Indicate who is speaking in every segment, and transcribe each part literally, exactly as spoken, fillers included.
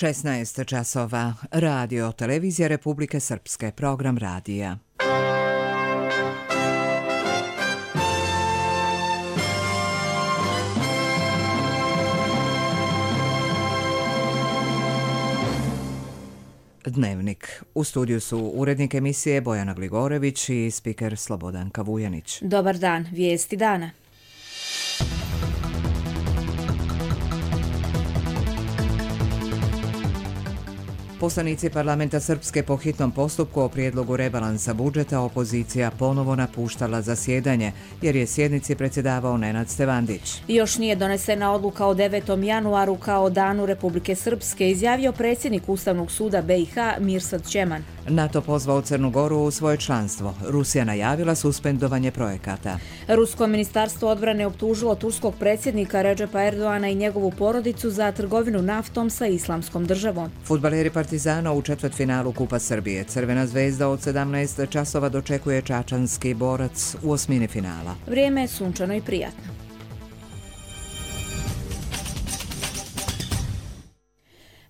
Speaker 1: šesnaest časova. Radio Televizija Republike Srpske. Program radija. Dnevnik. U studiju su urednik emisije Bojana Gligorević i spiker Slobodanka Vujanić.
Speaker 2: Dobar dan, vijesti dana.
Speaker 1: Poslanici parlamenta Srpske po hitnom postupku o prijedlogu rebalansa budžeta opozicija ponovo napuštala zasjedanje, jer je sjednici predsjedavao Nenad Stevandić.
Speaker 2: Još nije donesena odluka o devetom januaru kao danu Republike Srpske, izjavio predsjednik Ustavnog suda B i H Mirsad Ćeman.
Speaker 1: NATO pozvao Crnu Goru u svoje članstvo. Rusija najavila suspendovanje projekata.
Speaker 2: Rusko ministarstvo odbrane optužilo turskog predsjednika Redžepa Erdoana i njegovu porodicu za trgovinu naftom sa Islamskom državom.
Speaker 1: Fudbaleri Partizana u četvrtfinalu Kupa Srbije. Crvena zvezda od sedamnaest časova dočekuje čačanski Borac u osmini finala.
Speaker 2: Vrijeme je sunčano i prijatno.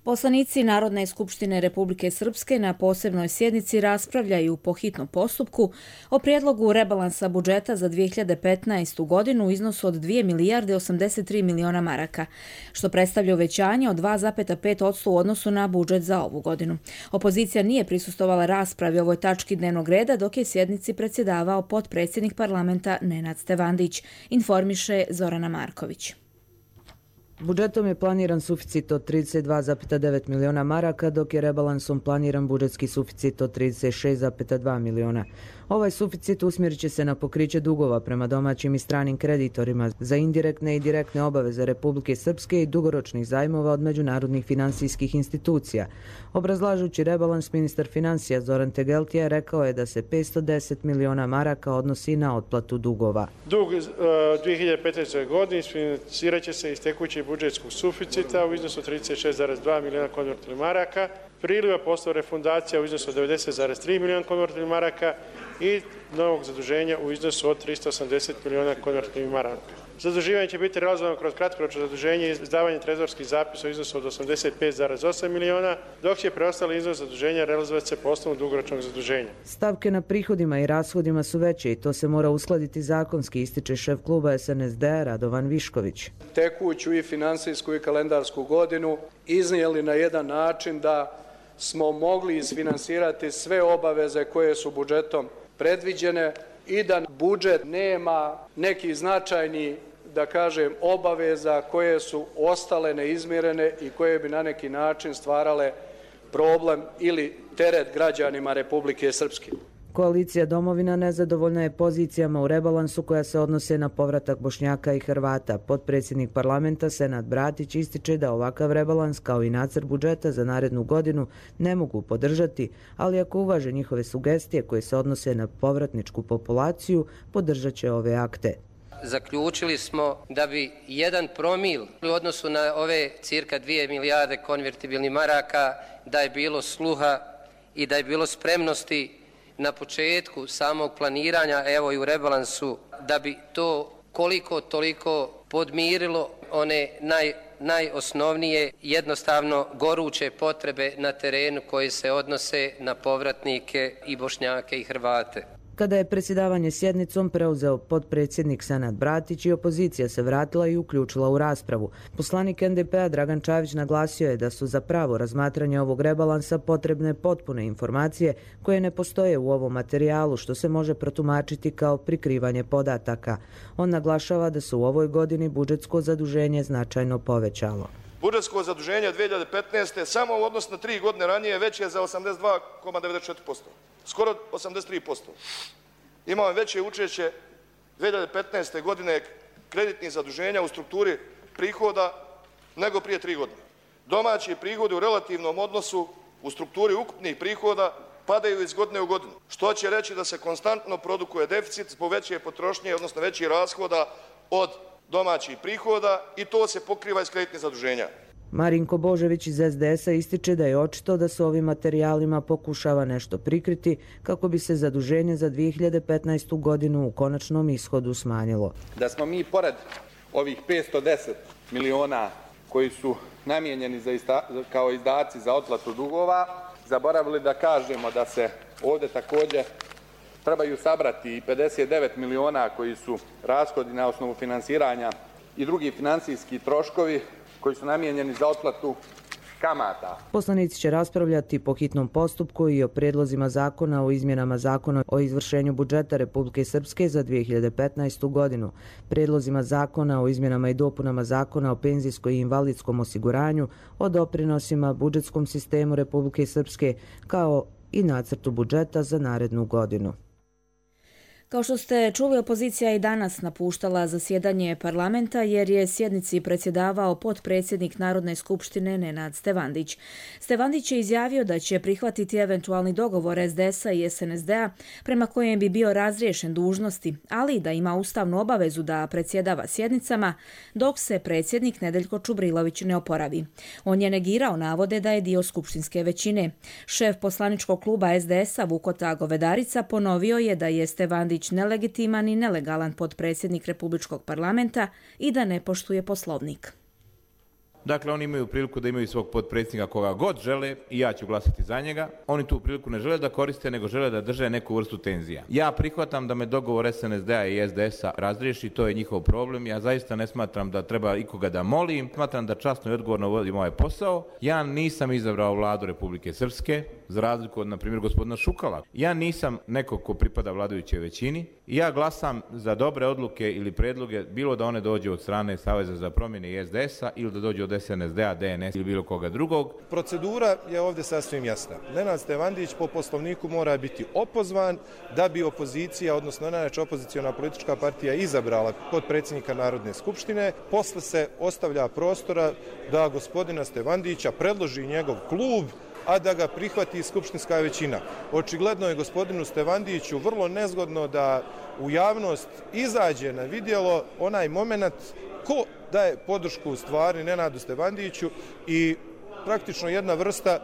Speaker 2: Poslanici Narodne skupštine Republike Srpske na posebnoj sjednici raspravljaju po hitnom postupku o prijedlogu rebalansa budžeta za dvije hiljade petnaestu. godinu u iznosu od dvije milijarde osamdeset tri miliona maraka, što predstavlja uvećanje od dva zarez pet posto u odnosu na budžet za ovu godinu. Opozicija nije prisustvovala raspravi o ovoj tački dnevnog reda, dok je sjednici predsjedavao potpredsjednik parlamenta Nenad Stevandić, informiše Zorana Marković.
Speaker 3: Budžetom je planiran suficit od trideset dva zarez devet miliona maraka, dok je rebalansom planiran budžetski suficit od trideset šest zarez dva miliona. Ovaj suficit usmjerit će se na pokriće dugova prema domaćim i stranim kreditorima za indirektne i direktne obaveze Republike Srpske i dugoročnih zajmova od međunarodnih finansijskih institucija. Obrazlažući rebalans, ministar financija Zoran Tegeltija rekao je da se petsto deset miliona maraka odnosi na otplatu dugova.
Speaker 4: Dug uh, dvije hiljade petnaeste. godine isfinancirat će se iz tekućeg budžetskog suficita u iznosu trideset šest zarez dva miliona konvertibilnih maraka, priliva posle refundacija u iznosu od devedeset zarez tri miliona konvertibilnih maraka i novog zaduženja u iznosu od tristo osamdeset miliona konvertibilnih maraka. Zaduživanje će biti realizovano kroz kratkoročno zaduženje i izdavanje trezorskih zapisa u iznosu od osamdeset pet zarez osam miliona, dok će preostali iznos zaduženja realizovati se po osnovu dugoročnog zaduženja.
Speaker 3: Stavke na prihodima i rashodima su veće i to se mora uskladiti zakonski, ističe šef kluba S N S D Radovan Višković.
Speaker 5: Tekuću i finansijsku i kalendarsku godinu iznijeli na jedan način da smo mogli isfinansirati sve obaveze koje su budžetom predviđene i da budžet nema neki značajni, da kažem, obaveza koje su ostale neizmirene i koje bi na neki način stvarale problem ili teret građanima Republike Srpske.
Speaker 3: Koalicija Domovina nezadovoljna je pozicijama u rebalansu koja se odnose na povratak Bošnjaka i Hrvata. Potpredsjednik parlamenta Senad Bratić ističe da ovakav rebalans kao i nacrt budžeta za narednu godinu ne mogu podržati, ali ako uvaže njihove sugestije koje se odnose na povratničku populaciju, podržat će ove akte.
Speaker 6: Zaključili smo da bi jedan promil u odnosu na ove cirka dvije milijarde konvertibilnih maraka, da je bilo sluha i da je bilo spremnosti na početku samog planiranja, evo i u rebalansu, da bi to koliko toliko podmirilo one naj, najosnovnije, jednostavno goruće potrebe na terenu koje se odnose na povratnike i Bošnjake i Hrvate.
Speaker 3: Kada je predsjedavanje sjednicom preuzeo potpredsjednik Senad Bratić i opozicija se vratila i uključila u raspravu. Poslanik N D P-a Dragan Čavić naglasio je da su za pravo razmatranje ovog rebalansa potrebne potpune informacije koje ne postoje u ovom materijalu, što se može protumačiti kao prikrivanje podataka. On naglašava da se u ovoj godini budžetsko zaduženje značajno povećalo.
Speaker 7: Budžetsko zaduženje dvije hiljade petnaeste. samo u odnosu na tri godine ranije veće je za osamdeset dva zarez devedeset četiri posto. Skoro osamdeset tri posto. Imamo veće učešće dvije hiljade petnaeste. godine kreditnih zaduženja u strukturi prihoda nego prije tri godine. Domaći prihodi u relativnom odnosu u strukturi ukupnih prihoda padaju iz godine u godinu, što će reći da se konstantno produkuje deficit zbog veće potrošnje, odnosno većih rashoda od domaćih prihoda i to se pokriva iz kreditnih zaduženja.
Speaker 3: Marinko Božević iz S D S-a ističe da je očito da se ovim materijalima pokušava nešto prikriti kako bi se zaduženje za dvije hiljade petnaestu. godinu u konačnom ishodu smanjilo.
Speaker 8: Da smo mi pored ovih petsto deset miliona koji su namijenjeni za ista, kao izdaci za otplatu dugova, zaboravili da kažemo da se ovdje također trebaju sabrati i pedeset devet miliona koji su rashodi na osnovu finansiranja i drugi financijski troškovi koji su namijenjeni za otplatu kamata.
Speaker 3: Poslanici će raspravljati po hitnom postupku i o prijedlozima zakona o izmjenama zakona o izvršenju budžeta Republike Srpske za dvije hiljade petnaestu. godinu, prijedlozima zakona o izmjenama i dopunama zakona o penzijskom i invalidskom osiguranju, o doprinosima budžetskom sistemu Republike Srpske, kao i nacrtu budžeta za narednu godinu.
Speaker 2: Kao što ste čuli, opozicija je i danas napuštala zasjedanje parlamenta jer je sjednici predsjedavao potpredsjednik Narodne skupštine Nenad Stevandić. Stevandić je izjavio da će prihvatiti eventualni dogovor es de es a i es en es de a prema kojem bi bio razriješen dužnosti, ali da ima ustavnu obavezu da predsjedava sjednicama dok se predsjednik Nedeljko Čubrilović ne oporavi. On je negirao navode da je dio skupštinske većine. Šef poslaničkog kluba es de es a Vukota Govedarica ponovio je da je Stevandić nelegitiman i nelegalan potpredsjednik Republičkog parlamenta i da ne poštuje poslovnik.
Speaker 9: Dakle, oni imaju priliku da imaju svog potpredsjednika koga god žele i ja ću glasati za njega. Oni tu priliku ne žele da koriste, nego žele da drže neku vrstu tenzija. Ja prihvatam da me dogovor es en es de a i es de es a razriješi, to je njihov problem. Ja zaista ne smatram da treba ikoga da molim. Smatram da časno i odgovorno vodim ovaj posao. Ja nisam izabrao vladu Republike Srpske, za razliku od, na primjer, gospodina Šukala. Ja nisam neko ko pripada vladajućoj većini i ja glasam za dobre odluke ili predloge, bilo da one dođe od strane Saveza za promjene i es de es a ili da dođe od es en es de a, de en es ili bilo koga drugog.
Speaker 10: Procedura je ovdje sasvim jasna. Nenad Stevandić po poslovniku mora biti opozvan da bi opozicija, odnosno najjača opoziciona politička partija izabrala potpredsjednika Narodne skupštine. Posle se ostavlja prostora da gospodina Stevandića predloži njegov klub, a da ga prihvati skupštinska većina. Očigledno je gospodinu Stevandiću vrlo nezgodno da u javnost izađe na vidjelo onaj moment ko daje podršku u stvari Nenadu Stevandiću i praktično jedna vrsta e,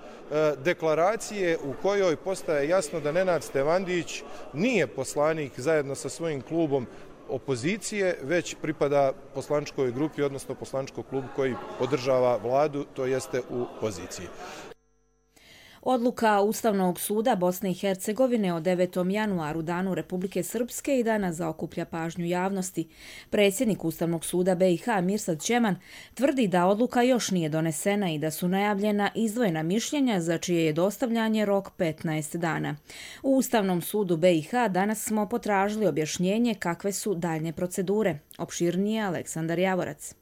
Speaker 10: deklaracije u kojoj postaje jasno da Nenad Stevandić nije poslanik zajedno sa svojim klubom opozicije, već pripada poslaničkoj grupi, odnosno poslaničkom klubu koji podržava vladu, to jeste u poziciji.
Speaker 2: Odluka Ustavnog suda Bosne i Hercegovine o devetom januaru, danu Republike Srpske, i danas zaokuplja pažnju javnosti. Predsjednik Ustavnog suda be i ha Mirsad Čeman tvrdi da odluka još nije donesena i da su najavljena izdvojena mišljenja za čije je dostavljanje rok petnaest dana. U Ustavnom sudu be i ha danas smo potražili objašnjenje kakve su daljnje procedure. Opširnije Aleksandar Javorac.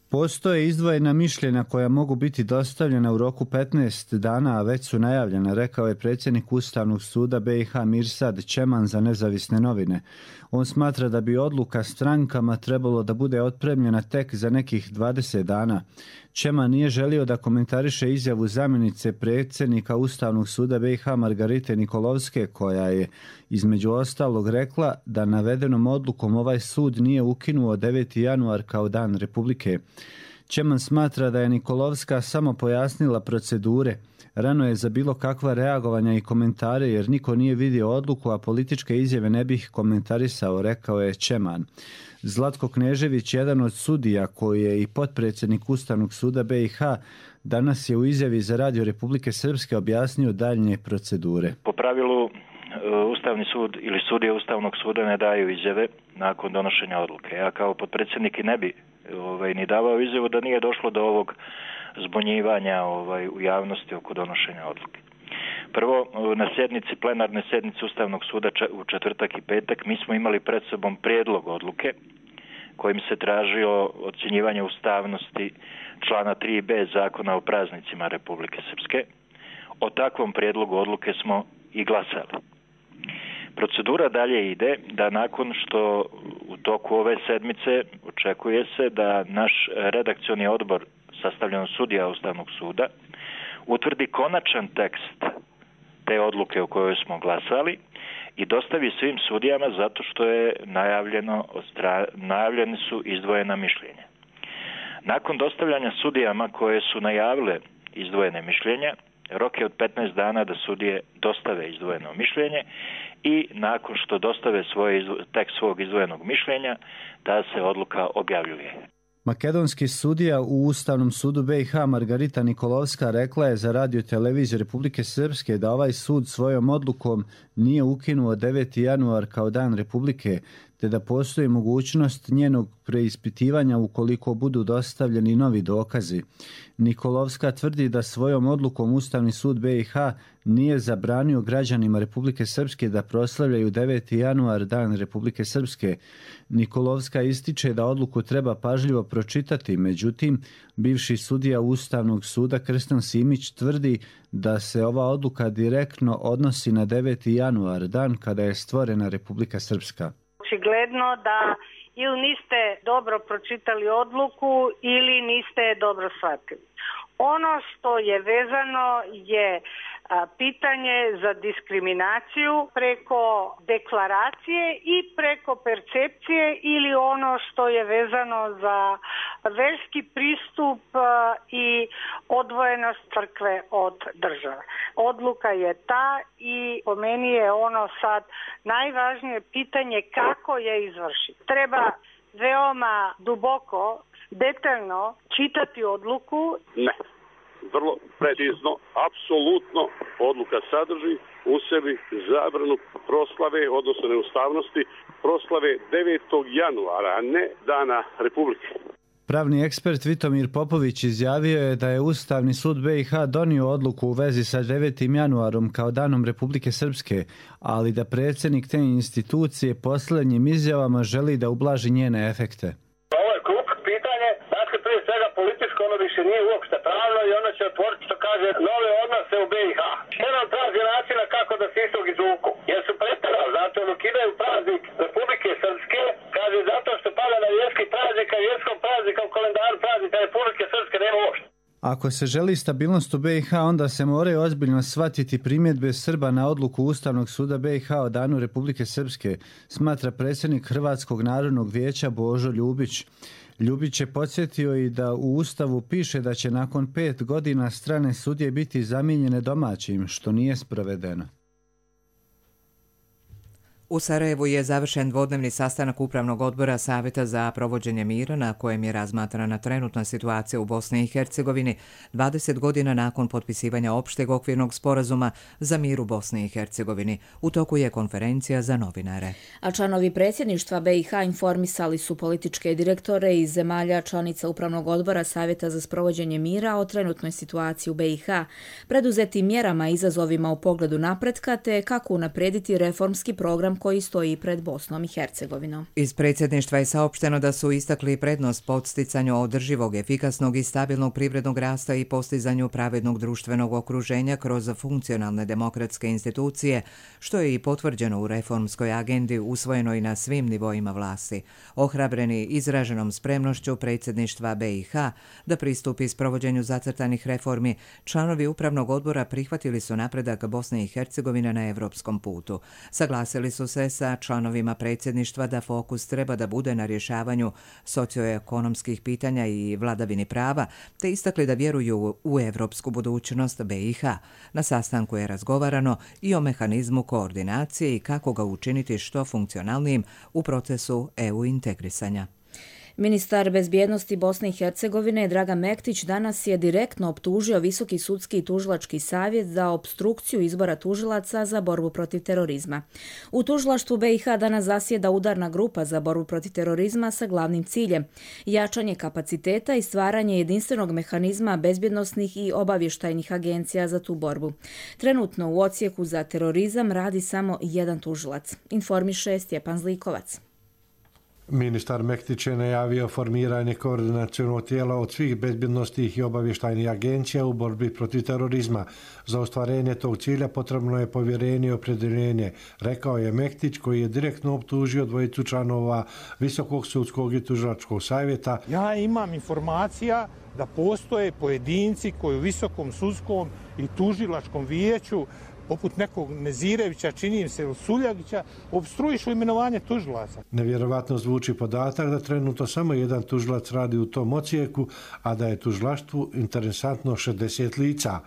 Speaker 11: Postoje izdvojena mišljenja koja mogu biti dostavljena u roku petnaest dana, a već su najavljena, rekao je predsjednik Ustavnog suda be i ha Mirsad Čeman za Nezavisne novine. On smatra da bi odluka strankama trebalo da bude otpremljena tek za nekih dvadeset dana. Čeman nije želio da komentariše izjavu zamjenice predsjednika Ustavnog suda be i ha Margarite Nikolovske, koja je između ostalog rekla da navedenom odlukom ovaj sud nije ukinuo deveti januar kao dan Republike. Čeman smatra da je Nikolovska samo pojasnila procedure. Rano je za bilo kakva reagovanja i komentare jer niko nije vidio odluku, a političke izjave ne bih komentarisao, rekao je Čeman. Zlatko Knežević, jedan od sudija koji je i potpredsjednik Ustavnog suda be i ha, danas je u izjavi za Radio Republike Srpske objasnio daljnje procedure.
Speaker 12: Po pravilu Ustavni sud ili sudije Ustavnog suda ne daju izjave nakon donošenja odluke. Ja kao potpredsjednik i ne bi ovaj, ni davao izjavu da nije došlo do ovog zbunjivanja ovaj, u javnosti oko donošenja odluke. Prvo, na sjednici, plenarne sjednice Ustavnog suda u četvrtak i petak mi smo imali pred sobom prijedlog odluke kojim se tražio ocjenjivanje ustavnosti člana tri be Zakona o praznicima Republike Srpske. O takvom prijedlogu odluke smo i glasali. Procedura dalje ide da nakon što u toku ove sedmice očekuje se da naš redakcioni odbor sastavljen od sudija Ustavnog suda utvrdi konačan tekst te odluke o kojoj smo glasali i dostavi svim sudijama zato što je najavljeno, najavljene su izdvojena mišljenja. Nakon dostavljanja sudijama koje su najavile izdvojene mišljenja, rok je od petnaest dana da sudije dostave izdvojeno mišljenje i nakon što dostave svoj tekst svog izdvojenog mišljenja, ta se odluka objavljuje.
Speaker 11: Makedonski sudija u Ustavnom sudu B i H Margarita Nikolovska rekla je za radio televiziju Republike Srpske da ovaj sud svojom odlukom nije ukinuo deveti januar kao dan Republike, te da postoji mogućnost njenog preispitivanja ukoliko budu dostavljeni novi dokazi. Nikolovska tvrdi da svojom odlukom Ustavni sud B i H nije zabranio građanima Republike Srpske da proslavljaju deveti januar dan Republike Srpske. Nikolovska ističe da odluku treba pažljivo pročitati, međutim, bivši sudija Ustavnog suda Krstan Simić tvrdi da se ova odluka direktno odnosi na deveti januar, dan kada je stvorena Republika Srpska.
Speaker 13: Očigledno da ili niste dobro pročitali odluku ili niste je dobro shvatili. Ono što je vezano je pitanje za diskriminaciju preko deklaracije i preko percepcije ili ono što je vezano za verski pristup i odvojenost crkve od države. Odluka je ta i po meni je ono sad najvažnije pitanje kako je izvršiti. Treba veoma duboko, detaljno čitati odluku.
Speaker 14: Ne. Vrlo precizno, apsolutno odluka sadrži u sebi zabranu proslave, odnosno neustavnosti, proslave devetog januara, a ne dana Republike.
Speaker 11: Pravni ekspert Vitomir Popović izjavio je da je Ustavni sud B i H donio odluku u vezi sa devetim januarom kao danom Republike Srpske, ali da predsjednik te institucije posljednjim izjavama želi da ublaži njene efekte.
Speaker 15: Ono više nije uopšte pravno i ono će otvoriti, što kaže, nove odnose u B i H. Jedan traži načina kako da se istog izvuku. Jer su pretjerali, zato ono ukidaju praznik Republike Srpske, kaže zato što pada na vjerski praznik, a vjerskom praznika u kalendaru praznika Republike Srpske nema uopšte.
Speaker 11: Ako se želi stabilnost u B i H, onda se moraju ozbiljno shvatiti primjedbe Srba na odluku Ustavnog suda B i H o danu Republike Srpske, smatra predsjednik Hrvatskog narodnog vijeća Božo Ljubić. Ljubić je podsjetio i da u Ustavu piše da će nakon pet godina strane sudije biti zamijenjene domaćim, što nije sprovedeno.
Speaker 1: U Sarajevu je završen dvodnevni sastanak Upravnog odbora Savjeta za provođenje mira na kojem je razmatrana trenutna situacija u Bosni i Hercegovini dvadeset godina nakon potpisivanja opšteg okvirnog sporazuma za mir u Bosni i Hercegovini. U toku je konferencija za novinare.
Speaker 2: A članovi predsjedništva B i H informisali su političke direktore iz zemalja članica Upravnog odbora Savjeta za sprovođenje mira o trenutnoj situaciji u B i H, preduzetim mjerama i izazovima u pogledu napretka te kako unaprediti reformski program koji stoji pred Bosnom i Hercegovinom.
Speaker 1: Iz predsjedništva je saopšteno da su istakli prednost podsticanju održivog, efikasnog i stabilnog privrednog rasta i postizanju pravednog društvenog okruženja kroz funkcionalne demokratske institucije, što je i potvrđeno u reformskoj agendi usvojenoj na svim nivoima vlasti. Ohrabreni izraženom spremnošću predsjedništva B i H da pristupi sprovođenju zacrtanih reformi, članovi Upravnog odbora prihvatili su napredak Bosne i Hercegovine na evropskom putu. Saglasili su se sa članovima predsjedništva da fokus treba da bude na rješavanju socioekonomskih pitanja i vladavini prava, te istakli da vjeruju u evropsku budućnost B i H. Na sastanku je razgovarano i o mehanizmu koordinacije i kako ga učiniti što funkcionalnijim u procesu E U integrisanja.
Speaker 2: Ministar bezbjednosti Bosne i Hercegovine Dragan Mektić danas je direktno optužio Visoki sudski i tužilački savjet za opstrukciju izbora tužilaca za borbu protiv terorizma. U tužilaštvu B i H danas zasjeda udarna grupa za borbu protiv terorizma sa glavnim ciljem jačanje kapaciteta i stvaranje jedinstvenog mehanizma bezbjednosnih i obavještajnih agencija za tu borbu. Trenutno u odsjeku za terorizam radi samo jedan tužilac, informiše Stjepan Zlikovac.
Speaker 16: Ministar Mektić je najavio formiranje koordinacionog tijela od svih bezbjednostnih i obavještajnih agencija u borbi protiv terorizma. Za ostvarenje tog cilja potrebno je povjerenje i opredjeljenje, rekao je Mektić, koji je direktno optužio dvojicu članova Visokog sudskog i tužilačkog savjeta.
Speaker 17: Ja imam informacija da postoje pojedinci koji u Visokom sudskom i tužilačkom vijeću poput nekog Nezirevića, čini im se, Suljagića, opstruišu imenovanje tužilaca.
Speaker 16: Nevjerovatno zvuči podatak da trenutno samo jedan tužilac radi u tom odsjeku, a da je tužilaštvu interesantno šezdeset lica.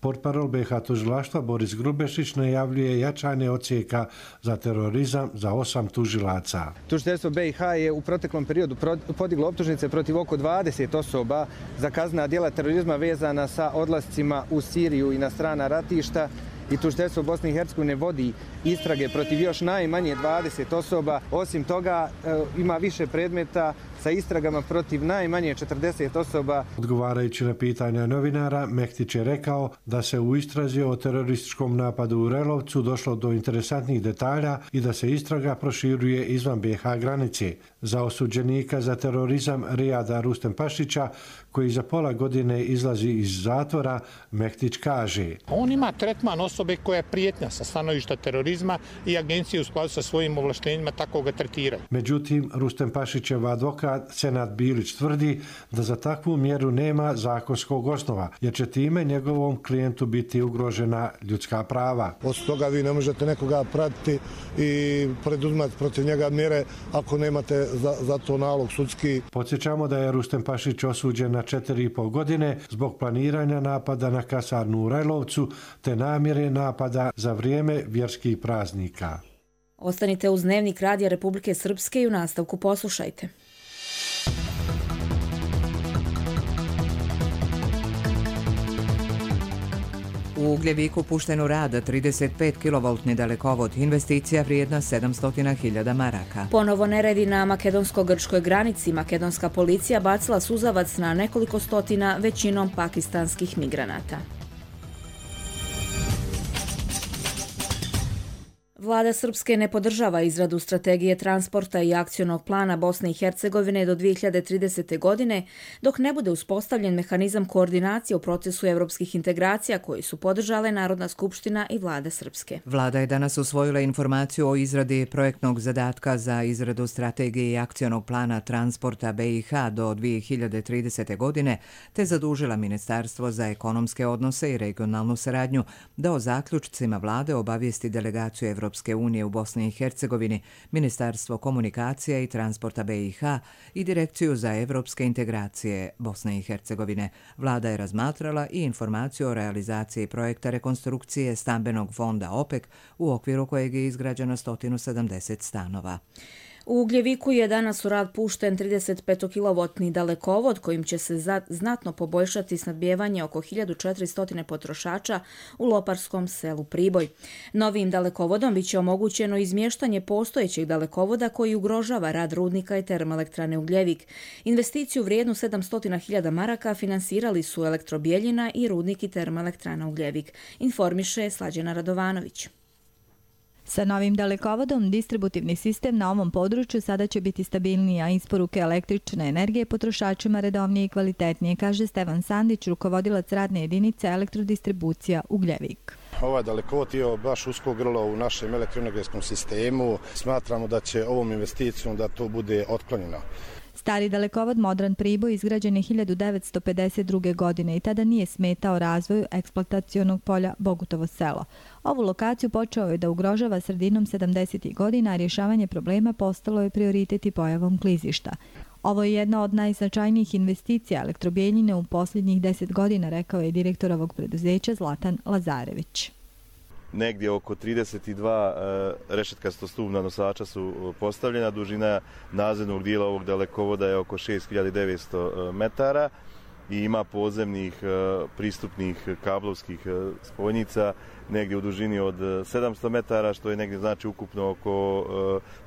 Speaker 16: Portparol B i H tužilaštva Boris Grubešić najavljuje jačanje odsjeka za terorizam za osam tužilaca.
Speaker 18: Tužiteljstvo B i H je u proteklom periodu podiglo optužnice protiv oko dvadeset osoba za kaznena djela terorizma vezana sa odlascima u Siriju i na strana ratišta. I tužiteljstvo Bosne i Hercegovine vodi istrage protiv još najmanje dvadeset osoba. Osim toga ima više predmeta sa istragama protiv najmanje četrdeset osoba.
Speaker 16: Odgovarajući na pitanja novinara, Mektić je rekao da se u istrazi o terorističkom napadu u Relovcu došlo do interesantnih detalja i da se istraga proširuje izvan B i H granice. Za osuđenika za terorizam Rijada Rustem Pašića, koji za pola godine izlazi iz zatvora, Mektić kaže:
Speaker 17: On ima tretman osobe koja je prijetnja sa stanovišta terorizma i agencije u skladu sa svojim ovlaštenjima tako ga tretiraju.
Speaker 16: Međutim, Rustem Pašićev advokat Senad Bilić tvrdi da za takvu mjeru nema zakonskog osnova, jer će time njegovom klijentu biti ugrožena ljudska prava.
Speaker 19: Od toga vi ne možete nekoga pratiti i preduzimati protiv njega mjere ako nemate za, za to nalog sudski.
Speaker 16: Podsjećamo da je Rustem Pašić osuđen na četiri i pol godine zbog planiranja napada na kasarnu u Rajlovcu te namjere napada za vrijeme vjerskih praznika.
Speaker 2: Ostanite uz Dnevnik Radija Republike Srpske i u nastavku poslušajte.
Speaker 1: U Ugljeviku pušten u rad trideset pet kilovoltni dalekovod, investicija vrijedna sedamsto hiljada maraka.
Speaker 2: Ponovo neredi na makedonsko-grčkoj granici. Makedonska policija bacila suzavac na nekoliko stotina, većinom pakistanskih migranata. Vlada Srpske ne podržava izradu strategije transporta i akcionog plana Bosne i Hercegovine do dvije hiljade tridesete. godine, dok ne bude uspostavljen mehanizam koordinacije u procesu evropskih integracija koji su podržale Narodna skupština i Vlada Srpske.
Speaker 1: Vlada je danas usvojila informaciju o izradi projektnog zadatka za izradu strategije i akcionog plana transporta B i H do dvije hiljade tridesete. godine, te zadužila Ministarstvo za ekonomske odnose i regionalnu saradnju da o zaključcima vlade obavijesti delegaciju Evropske unije u Bosni i Hercegovini, Ministarstvo komunikacija i transporta B i H i Direkciju za evropske integracije Bosne i Hercegovine. Vlada je razmatrala i informaciju o realizaciji projekta rekonstrukcije stambenog fonda OPEC, u okviru kojeg je izgrađeno sto sedamdeset stanova.
Speaker 2: U Ugljeviku je danas u rad pušten trideset pet kilovoltni dalekovod kojim će se znatno poboljšati snabdijevanje oko hiljadu četiristo potrošača u loparskom selu Priboj. Novim dalekovodom biće omogućeno izmještanje postojećeg dalekovoda koji ugrožava rad rudnika i termoelektrane Ugljevik. Investiciju vrijednu sedamsto hiljada maraka finansirali su Elektrobijeljina i rudnik i termoelektrana Ugljevik, informiše Slađana Radovanović.
Speaker 20: Sa novim dalekovodom distributivni sistem na ovom području sada će biti stabilniji, a isporuke električne energije potrošačima redovnije i kvalitetnije, kaže Stevan Sandić, rukovodilac radne jedinice elektrodistribucija Ugljevik.
Speaker 21: Ovaj dalekovod je baš usko grlo u našem elektroenergetskom sistemu. Smatramo da će ovom investicijom da to bude otklonjeno.
Speaker 20: Stari dalekovod Modran Priboj izgrađen je hiljadu devetsto pedeset druge. godine i tada nije smetao razvoju eksploatacionog polja Bogutovo selo. Ovu lokaciju počeo je da ugrožava sredinom sedamdesetih. godina, a rješavanje problema postalo je prioritet i pojavom klizišta. Ovo je jedna od najznačajnijih investicija Elektrobijeljine u posljednjih deset godina, rekao je direktor ovog preduzeća Zlatan Lazarević.
Speaker 22: Negdje oko trideset dva rešetkastostupna nosača su postavljena. Dužina nadzemnog dijela ovog dalekovoda je oko šest hiljada devetsto metara i ima podzemnih pristupnih kablovskih spojnica negdje u dužini od sedamsto metara, što je negdje znači ukupno oko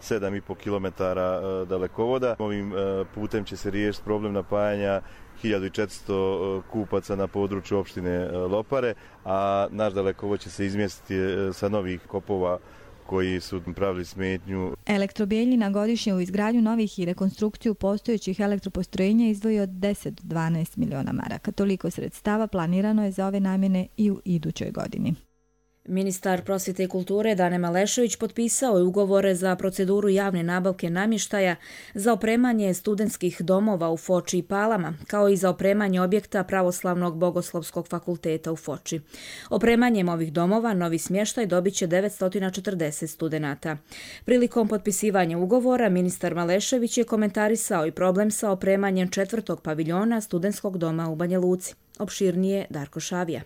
Speaker 22: sedam i pol kilometara dalekovoda. Ovim putem će se riješiti problem napajanja hiljadu četiristo kupaca na području opštine Lopare, a naš dalekovod će se izmjestiti sa novih kopova koji su pravili smetnju.
Speaker 20: Elektrobijeljina godišnje u izgradnju novih i rekonstrukciju postojećih elektropostrojenja izdvoji od deset do dvanaest miliona maraka. Toliko sredstava planirano je za ove namjene i u idućoj godini.
Speaker 2: Ministar prosvjete i kulture Dane Malešević potpisao je ugovore za proceduru javne nabavke namještaja za opremanje studentskih domova u Foči i Palama, kao i za opremanje objekta Pravoslavnog bogoslovskog fakulteta u Foči. Opremanjem ovih domova novi smještaj dobit će devetsto četrdeset studenata. Prilikom potpisivanja ugovora ministar Malešević je komentarisao i problem sa opremanjem četvrtog paviljona studentskog doma u Banja Luci. Opširnije Darko Šavija.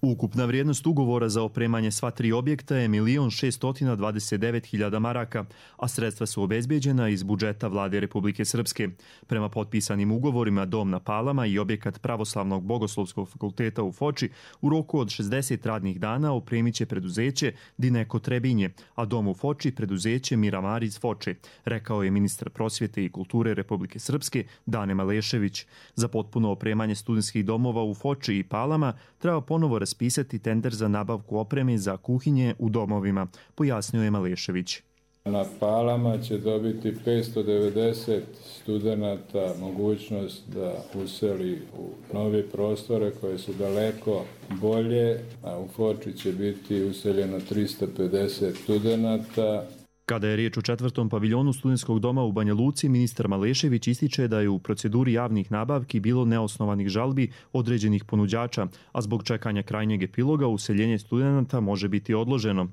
Speaker 4: Ukupna vrijednost ugovora za opremanje sva tri objekta je milion šeststo dvadeset devet hiljada maraka, a sredstva su obezbijeđena iz budžeta Vlade Republike Srpske. Prema potpisanim ugovorima Dom na Palama i objekat Pravoslavnog bogoslovskog fakulteta u Foči u roku od šezdeset radnih dana opremit će preduzeće Dineko Trebinje, a Dom u Foči preduzeće Miramar iz Foče, rekao je ministar prosvjete i kulture Republike Srpske Dane Malešević. Za potpuno opremanje studentskih domova u Foči i Palama treba ponovo raspisati tender za nabavku opreme za kuhinje u domovima, pojasnio je Malešević.
Speaker 5: Na Palama će dobiti petsto devedeset studenata mogućnost da useli u nove prostore koje su daleko bolje, a u Foči će biti useljeno tristo pedeset studenata.
Speaker 4: Kada je riječ o četvrtom paviljonu studentskog doma u Banja Luci, ministar Malešević ističe da je u proceduri javnih nabavki bilo neosnovanih žalbi određenih ponuđača, a zbog čekanja krajnjeg epiloga useljenje studenata može biti odloženo.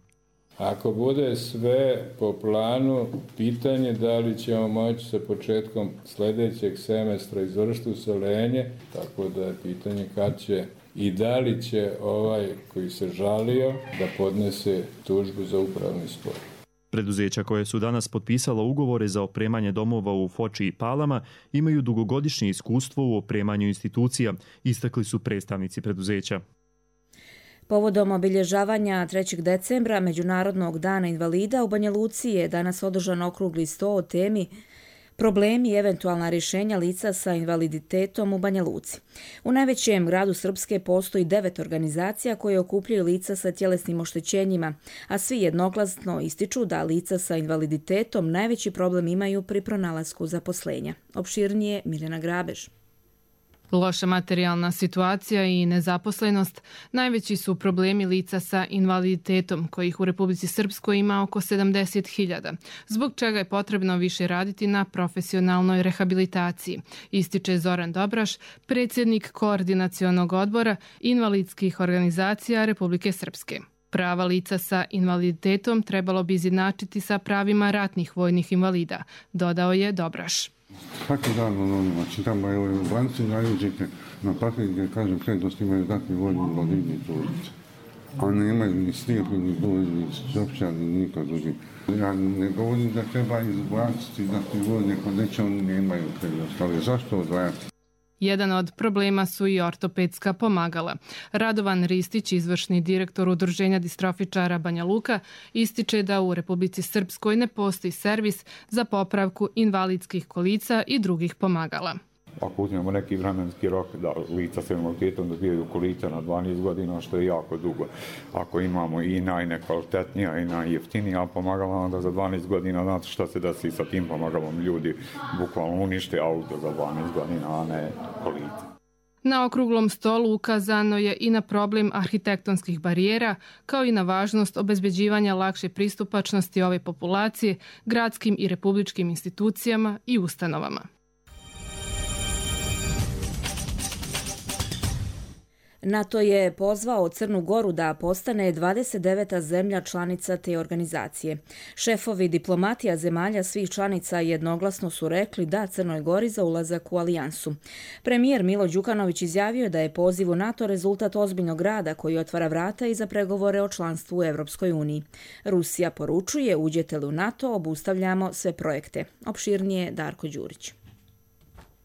Speaker 5: Ako bude sve po planu, pitanje da li ćemo moći sa početkom sljedećeg semestra izvršiti useljenje, tako da je pitanje kad će i da li će ovaj koji se žalio da podnese tužbu za upravni spor.
Speaker 4: Preduzeća koje su danas potpisala ugovore za opremanje domova u Foči i Palama imaju dugogodišnje iskustvo u opremanju institucija, istakli su predstavnici preduzeća.
Speaker 2: Povodom obilježavanja trećeg decembra Međunarodnog dana invalida u Banja Luci je danas održan okrugli sto o temi problemi i eventualna rješenja lica sa invaliditetom u Banja Luci. U najvećem gradu Srpske postoji devet organizacija koje okupljaju lica sa tjelesnim oštećenjima, a svi jednoglasno ističu da lica sa invaliditetom najveći problem imaju pri pronalasku zaposlenja. Opširnije Miljana Grabež.
Speaker 23: Loša materijalna situacija i nezaposlenost najveći su problemi lica sa invaliditetom, kojih u Republici Srpskoj ima oko sedamdeset hiljada, zbog čega je potrebno više raditi na profesionalnoj rehabilitaciji, ističe Zoran Dobraš, predsjednik Koordinacionog odbora invalidskih organizacija Republike Srpske. Prava lica sa invaliditetom trebalo bi izjednačiti sa pravima ratnih vojnih invalida, dodao je Dobraš.
Speaker 24: Svaki dan onima čitamo, evo u banci najuđete na papir gdje kažem prednost imaju ratni vojni invalidi i tulice. A nemaju ni slijepi, ni gluvi, ni sopća, ni niko drugi. Ja ne govorim da treba izbaciti ratni vojni, ako neće oni nemaju prednost, ali zašto odvajati?
Speaker 23: Jedan od problema su i ortopedska pomagala. Radovan Ristić, izvršni direktor Udruženja distrofičara Banja Luka, ističe da u Republici Srpskoj ne postoji servis za popravku invalidskih kolica i drugih pomagala.
Speaker 25: Ako uzmemo neki vremenski rok da lica s invaliditetom dobijaju kolica na dvanaest godina, što je jako dugo. Ako imamo i najnekvalitetnija i najjeftinija pomagala, onda za dvanaest godina, znate što se desi sa tim pomagalom, ljudi bukvalno unište auto za dvanaest godina, a ne kolica.
Speaker 23: Na okruglom stolu ukazano je i na problem arhitektonskih barijera, kao i na važnost obezbeđivanja lakše pristupačnosti ove populacije gradskim i republičkim institucijama i ustanovama.
Speaker 2: NATO je pozvao Crnu Goru da postane dvadeset deveta zemlja članica te organizacije. Šefovi diplomatija zemalja svih članica jednoglasno su rekli da Crnoj Gori za ulazak u alijansu. Premijer Milo Đukanović izjavio je da je poziv u NATO rezultat ozbiljnog rada koji otvara vrata i za pregovore o članstvu u Evropskoj uniji. Rusija poručuje, uđete li u NATO, obustavljamo sve projekte. Opširnije Darko Đurić.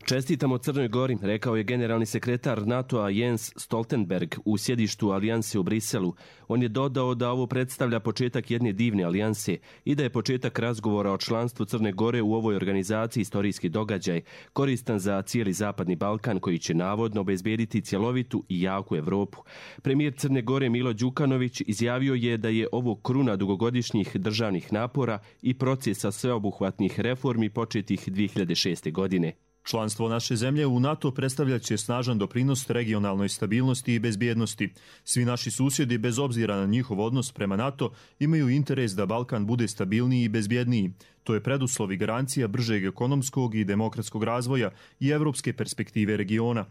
Speaker 26: Čestitamo Crnoj Gori, rekao je generalni sekretar NATO-a Jens Stoltenberg u sjedištu alijanse u Briselu. On je dodao da ovo predstavlja početak jedne divne alijanse i da je početak razgovora o članstvu Crne Gore u ovoj organizaciji istorijski događaj, koristan za cijeli Zapadni Balkan koji će navodno obezbediti cjelovitu i jaku Evropu. Premijer Crne Gore Milo Đukanović izjavio je da je ovo kruna dugogodišnjih državnih napora i procesa sveobuhvatnih reformi početih dvije hiljade šeste. godine.
Speaker 4: Članstvo naše zemlje u NATO predstavljat će snažan doprinos regionalnoj stabilnosti i bezbjednosti. Svi naši susjedi, bez obzira na njihov odnos prema NATO, imaju interes da Balkan bude stabilniji i bezbjedniji. To je preduslov i garancija bržeg ekonomskog i demokratskog razvoja i evropske perspektive regiona.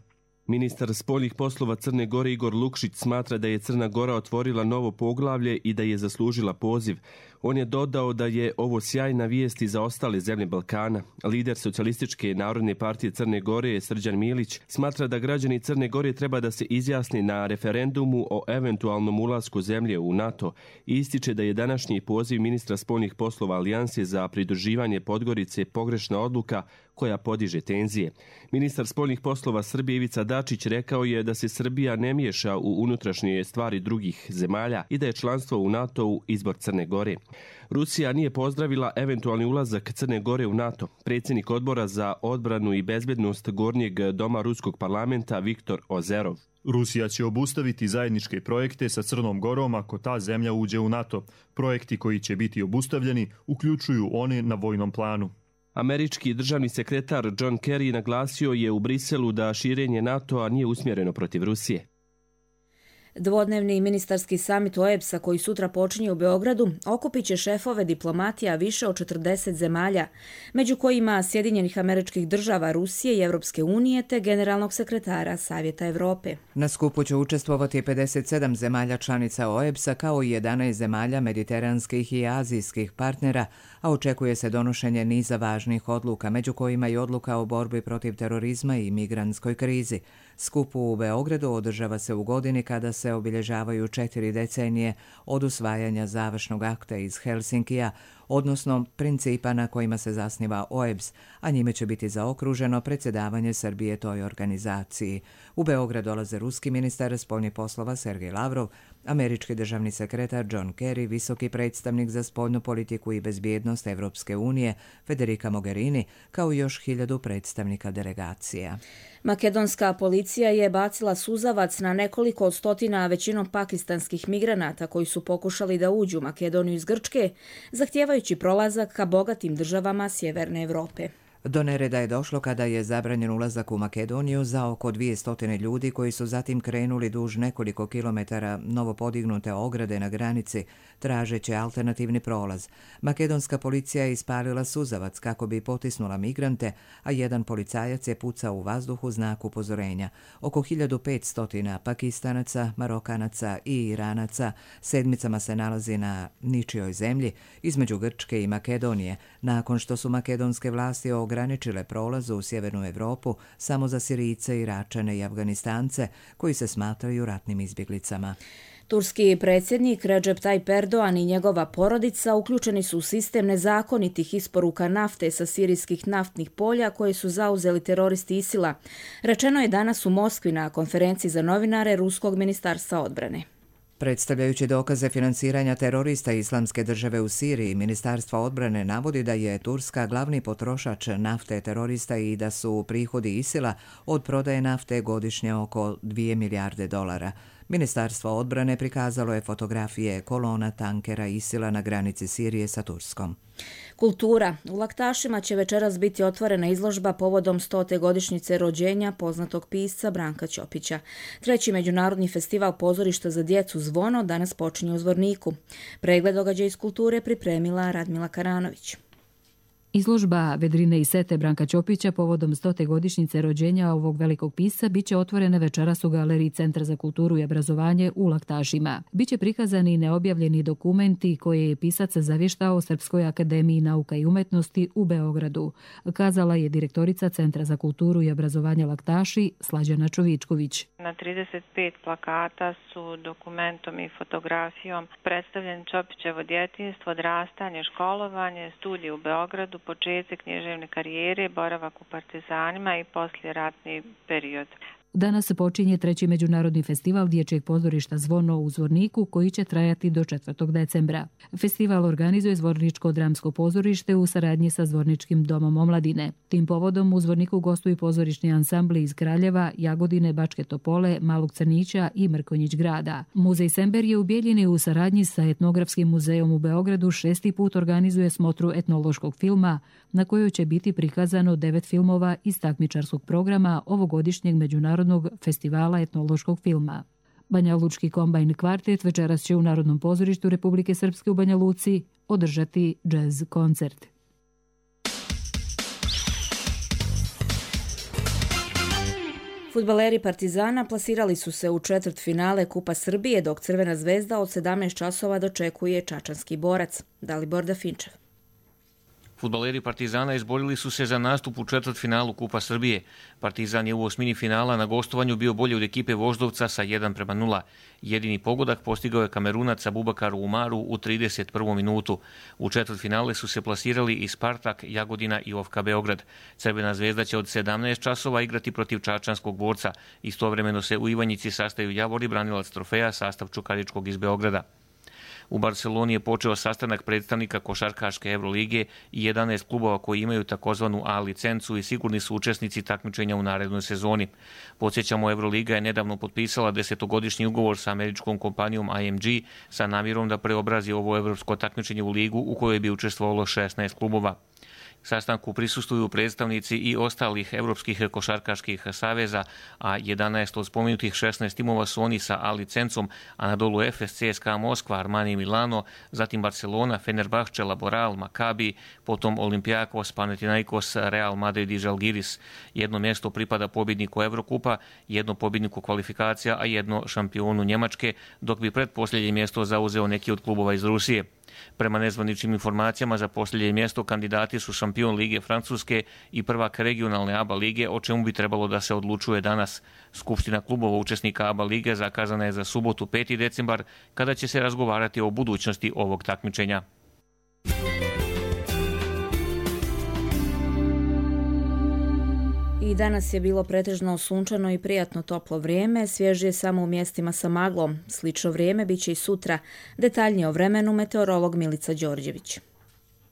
Speaker 26: Ministar spoljnih poslova Crne Gore Igor Lukšić smatra da je Crna Gora otvorila novo poglavlje i da je zaslužila poziv. On je dodao da je ovo sjajna vijest i za ostale zemlje Balkana. Lider Socijalističke narodne partije Crne Gore, Srđan Milić, smatra da građani Crne Gore treba da se izjasni na referendumu o eventualnom ulasku zemlje u NATO i ističe da je današnji poziv ministra spoljnih poslova Alijanse za pridruživanje Podgorice pogrešna odluka koja podiže tenzije. Ministar spoljnih poslova Srbije Ivica Dačić rekao je da se Srbija ne miješa u unutrašnje stvari drugih zemalja i da je članstvo u NATO-u izbor Crne Gore. Rusija nije pozdravila eventualni ulazak Crne Gore u NATO. Predsjednik odbora za odbranu i bezbednost Gornjeg doma Ruskog parlamenta Viktor Ozerov.
Speaker 4: Rusija će obustaviti zajedničke projekte sa Crnom Gorom ako ta zemlja uđe u NATO. Projekti koji će biti obustavljeni uključuju one na vojnom planu.
Speaker 26: Američki državni sekretar John Kerry naglasio je u Briselu da širenje NATO-a nije usmjereno protiv Rusije.
Speaker 2: Dvodnevni ministarski samit O E B S-a koji sutra počinje u Beogradu okupit će šefove diplomatija više od četrdeset zemalja, među kojima Sjedinjenih Američkih Država, Rusije i Evropske unije te generalnog sekretara Savjeta Evrope.
Speaker 1: Na skupu će učestvovati pedeset sedam zemalja članica O E B S-a kao i jedanaest zemalja mediteranskih i azijskih partnera, a očekuje se donošenje niza važnih odluka, među kojima i odluka o borbi protiv terorizma i migrantskoj krizi. Skup u Beogradu održava se u godini kada se obilježavaju četiri decenije od usvajanja završnog akta iz Helsinkija, odnosno principa na kojima se zasniva O E B S, a njime će biti zaokruženo predsjedavanje Srbije toj organizaciji. U Beograd dolaze ruski ministar spoljnih poslova Sergej Lavrov, američki državni sekretar John Kerry, visoki predstavnik za spoljnu politiku i bezbjednost Evropske unije Federica Mogherini, kao i još hiljadu predstavnika delegacija.
Speaker 2: Makedonska policija je bacila suzavac na nekoliko stotina većinom pakistanskih migranata koji su pokušali da uđu u Makedoniju iz Grčke, zahtijevajući prolazak ka bogatim državama Sjeverne Evrope.
Speaker 1: Do nereda je došlo kada je zabranjen ulazak u Makedoniju za oko dvjesto ljudi koji su zatim krenuli duž nekoliko kilometara novopodignute ograde na granici, tražeći alternativni prolaz. Makedonska policija je ispalila suzavac kako bi potisnula migrante, a jedan policajac je pucao u vazduhu znak upozorenja. Oko hiljadu petsto Pakistanaca, Marokanaca i Iranaca sedmicama se nalazi na ničijoj zemlji između Grčke i Makedonije, nakon što su makedonske vlasti ograničile prolazu u Sjevernu Evropu samo za Sirijce, Iračane i Afganistance koji se smatraju ratnim izbjeglicama.
Speaker 2: Turski predsjednik Recep Tayyip Erdogan i njegova porodica uključeni su u sistem nezakonitih isporuka nafte sa sirijskih naftnih polja koje su zauzeli teroristi ISIL-a. Rečeno je danas u Moskvi na konferenciji za novinare Ruskog ministarstva odbrane.
Speaker 1: Predstavljajući dokaze financiranja terorista Islamske države u Siriji, Ministarstvo odbrane navodi da je Turska glavni potrošač nafte terorista i da su prihodi ISIL-a od prodaje nafte godišnje oko dvije milijarde dolara. Ministarstvo odbrane prikazalo je fotografije kolona tankera ISIL-a na granici Sirije sa Turskom.
Speaker 2: Kultura. U Laktašima će večeras biti otvorena izložba povodom stote godišnjice rođenja poznatog pisca Branka Ćopića. Treći međunarodni festival pozorišta za djecu Zvono danas počinje u Zvorniku. Pregled događaja iz kulture pripremila Radmila Karanović.
Speaker 3: Izložba Vedrine i sete Branka Ćopića povodom stote godišnjice rođenja ovog velikog pisca biće otvorena večeras u galeriji Centra za kulturu i obrazovanje u Laktašima. Biće prikazani neobjavljeni dokumenti koje je pisac zavještao Srpskoj akademiji nauka i umetnosti u Beogradu, kazala je direktorica Centra za kulturu i obrazovanje Laktaši Slađana Čovičković.
Speaker 6: Na trideset pet plakata su dokumentom i fotografijom predstavljen Ćopićevo djetinjstvo, odrastanje, školovanje, studije u Beogradu, početak književne karijere, boravak u partizanima i poslijeratni period.
Speaker 3: Danas počinje treći međunarodni festival dječjeg pozorišta Zvono u Zvorniku koji će trajati do četvrtog decembra. Festival organizuje Zvorničko dramsko pozorište u saradnji sa Zvorničkim domom omladine. Tim povodom u Zvorniku gostuju pozorišni ansambli iz Kraljeva, Jagodine, Bačke Topole, Malog Crnića i Mrkonjić grada. Muzej Sember je u Bijeljini u saradnji sa Etnografskim muzejom u Beogradu šesti put organizuje smotru etnološkog filma na kojoj će biti prikazano devet filmova iz takmičarskog programa ovogodišnjeg međunarodnog festivala etnološkog filma. Banja Lučki kombajn kvartet večeras će u Narodnom pozorištu Republike Srpske u Banja Luci održati džez koncert.
Speaker 2: Fudbaleri Partizana plasirali su se u četvrtfinale Kupa Srbije, dok Crvena zvezda od sedamnaest časova dočekuje čačanski Borac. Dalibor Dafinčev.
Speaker 7: Fudbaleri Partizana izborili su se za nastup u četvrtfinalu Kupa Srbije. Partizan je u osmini finala na gostovanju bio bolji od ekipe Voždovca sa jedan prema nula. Jedini pogodak postigao je Kamerunac Abubakar Umaru u trideset prvom minutu. U četvrtfinale su se plasirali i Spartak, Jagodina i O F K Beograd. Crvena zvezda će od sedamnaest časova igrati protiv čačanskog Borca. Istovremeno se u Ivanjici sastaju Javor i branilac trofeja, sastav Čukaričkog iz Beograda. U Barceloni je počeo sastanak predstavnika košarkaške Evrolige i jedanaest klubova koji imaju takozvanu A licencu i sigurni su učesnici takmičenja u narednoj sezoni. Podsjećamo, Evroliga je nedavno potpisala desetogodišnji ugovor sa američkom kompanijom I M G sa namjerom da preobrazi ovo evropsko takmičenje u ligu u kojoj bi učestvovalo šesnaest klubova. Sastanku prisustvuju predstavnici i ostalih evropskih košarkaških saveza, a jedanaest od spomenutih šesnaest timova su oni sa A licencom, Anadolu Efes, C S K A Moskva, Armani Milano, zatim Barcelona, Fenerbahče, Laboral, Maccabi, potom Olympiakos, Panathinaikos, Real Madrid i Žalgiris. Jedno mjesto pripada pobjedniku Evrokupa, jedno pobjedniku kvalifikacija, a jedno šampionu Njemačke, dok bi pretposljednje mjesto zauzeo neki od klubova iz Rusije. Prema nezvaničnim informacijama za posljednje mjesto kandidati su šampion Lige Francuske i prvak regionalne A B A lige, o čemu bi trebalo da se odlučuje danas. Skupština klubova učesnika A B A lige zakazana je za subotu peti decembar, kada će se razgovarati o budućnosti ovog takmičenja.
Speaker 2: I danas je bilo pretežno sunčano i prijatno toplo vrijeme, svježije samo u mjestima sa maglom. Slično vrijeme bit će i sutra. Detaljnije o vremenu meteorolog Milica Đorđević.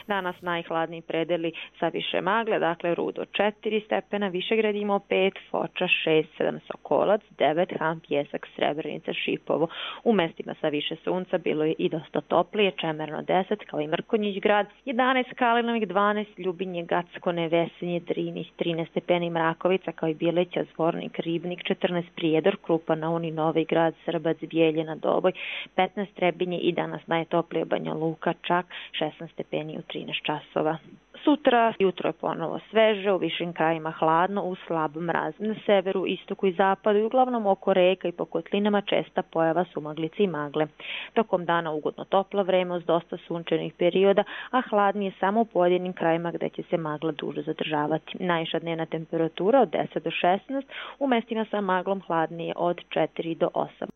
Speaker 8: Danas najhladniji predeli sa više magle, dakle Rudo četiri stepena, Višegrad imao pet, Foča šest, sedam Sokolac, devet, Han, Pjesak, Srebrenica, Šipovo. U mestima sa više sunca bilo je i dosta toplije, Čemerno deset, kao i Mrkonjić grad, jedanaest Kalinovik, dvanaest Ljubinje, Gacko, Nevesinje, trinaest, trinaest stepeni Mrakovica, kao i Bjeleća, Zvornik, Ribnik, četrnaest Prijedor, Krupa, Nauni, Novi Grad, Srbac, Bijeljina, Doboj, petnaest Trebinje i danas najtoplije Banja Luka, čak šesnaest stepeni u trinaest časova. Sutra jutro je ponovo sveže, u višim krajima hladno, uz slab mraz. Na severu, istoku i zapadu i uglavnom oko reka i po kotlinama česta pojava sumaglice i magle. Tokom dana ugodno toplo vreme uz dosta sunčanih perioda, a hladnije samo u pojedinim krajima gdje će se magla duže zadržavati. Najviša dnevna temperatura od deset do šesnaest, u mestima sa maglom hladnije od četiri do osam.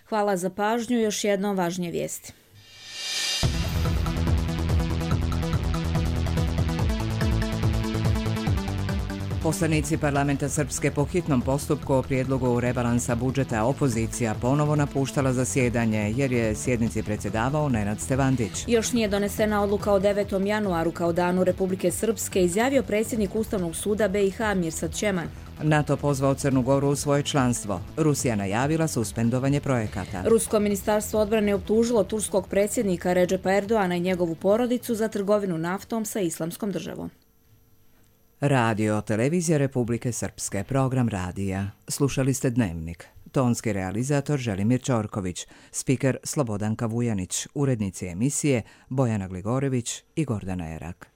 Speaker 2: Hvala za pažnju, još jednom važnije vijesti.
Speaker 1: Poslanici parlamenta Srpske po hitnom postupku o prijedlogu rebalansa budžeta opozicija ponovo napuštala zasjedanje jer je sjednici predsjedavao Nenad Stevandić.
Speaker 2: Još nije donesena odluka o devetom januaru kao danu Republike Srpske, izjavio predsjednik Ustavnog suda B i H Mirsad Čeman.
Speaker 1: NATO pozvao Crnu Goru u svoje članstvo. Rusija najavila suspendovanje projekata.
Speaker 2: Rusko ministarstvo odbrane optužilo turskog predsjednika Redžepa Erdoana i njegovu porodicu za trgovinu naftom sa Islamskom državom.
Speaker 1: Radio Televizija Republike Srpske, program radija. Slušali ste Dnevnik. Tonski realizator Želimir Ćorković, spiker Slobodanka Vujanić, urednici emisije Bojana Gligorević i Gordana Erak.